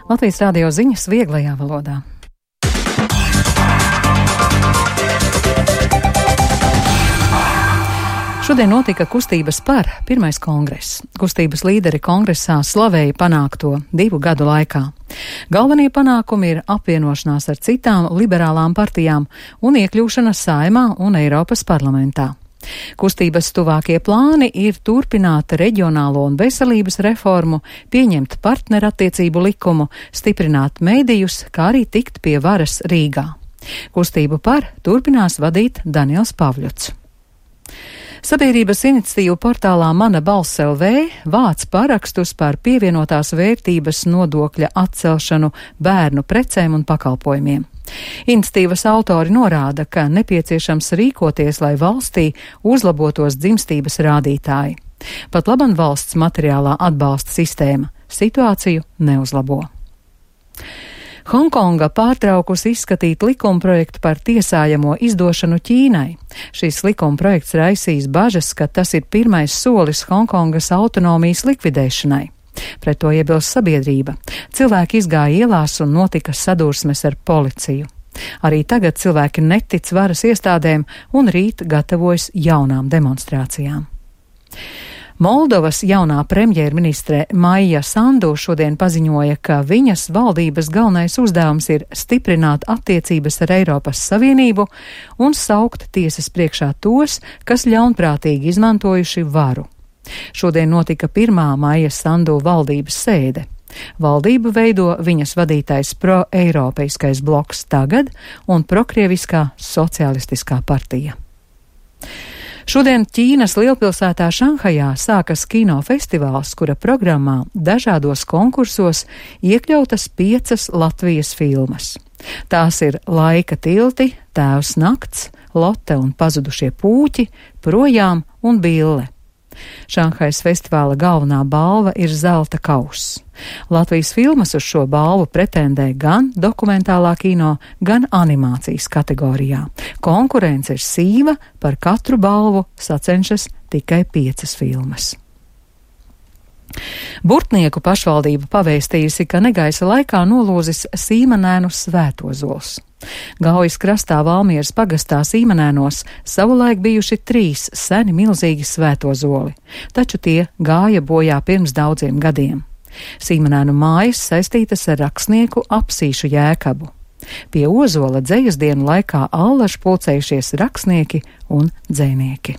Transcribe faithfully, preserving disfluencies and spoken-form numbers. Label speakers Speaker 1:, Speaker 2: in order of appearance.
Speaker 1: Latvijas Rādio ziņas vieglajā valodā. Šodien notika kustības par pirmais kongress. Kustības līderi kongresā slavēja panākto divu gadu laikā. Galvenie panākumi ir apvienošanās ar citām liberālām partijām un iekļūšana Saeimā un Eiropas parlamentā. Kustības tuvākie plāni ir turpināt reģionālo un veselības reformu, pieņemt partnerattiecību likumu, stiprināt medijus, kā arī tikt pie varas Rīgā. Kustību par turpinās vadīt Daniels Pavļuts. Sabiedrības iniciatīvu portālā Mana balss L V vāc parakstus par pievienotās vērtības nodokļa atcelšanu bērnu precēm un pakalpojumiem. Iniciatīvas autori norāda, ka nepieciešams rīkoties, lai valstī uzlabotos dzimstības rādītāji. Pat laban valsts materiālā atbalsta sistēma situāciju neuzlabo. Hongkonga pārtraukusi izskatīt likumprojektu par tiesājamo izdošanu Ķīnai. Šis likumprojekts raisīs bažas, ka tas ir pirmais solis Hongkongas autonomijas likvidēšanai. Pret to iebilst sabiedrība. Cilvēki izgāja ielās un notika sadursmes ar policiju. Arī tagad cilvēki netic varas iestādēm un rīt gatavojas jaunām demonstrācijām. Moldovas jaunā premjerministre Maija Sandu šodien paziņoja, ka viņas valdības galvenais uzdevums ir stiprināt attiecības ar Eiropas Savienību un saukt tiesas priekšā tos, kas ļaunprātīgi izmantojuši varu. Šodien notika pirmā Maija Sandu valdības sēde. Valdību veido viņas vadītais pro-eiropeiskais bloks Tagad un prokrieviskā socialistiskā partija. Šodien Ķīnas lielpilsētā Šanhajā sākas kinofestivāls, kura programmā dažādos konkursos iekļautas piecas Latvijas filmas. Tās ir Laika tilti, Tēvs nakts, Lotte un pazudušie pūķi, Projām un Bille. Šanhajas festivāla galvenā balva ir zelta kauss. Latvijas filmas uz šo balvu pretendē gan dokumentālā kino, gan animācijas kategorijā. Konkurence ir sīva, par katru balvu sacenšas tikai piecas filmas. Burtnieku pašvaldība pavēstījusi, ka negaisa laikā nolūzis Sīmanēnu svētozols. Gaujas krastā Valmieras pagastā Sīmanēnos savulaik bijuši trīs seni milzīgi svētozoli, taču tie gāja bojā pirms daudziem gadiem. Sīmanēnu mājas saistītas ar rakstnieku Apsīšu Jēkabu. Pie ozola dzejas dienu laikā allaž pulcējušies rakstnieki un dzejnieki.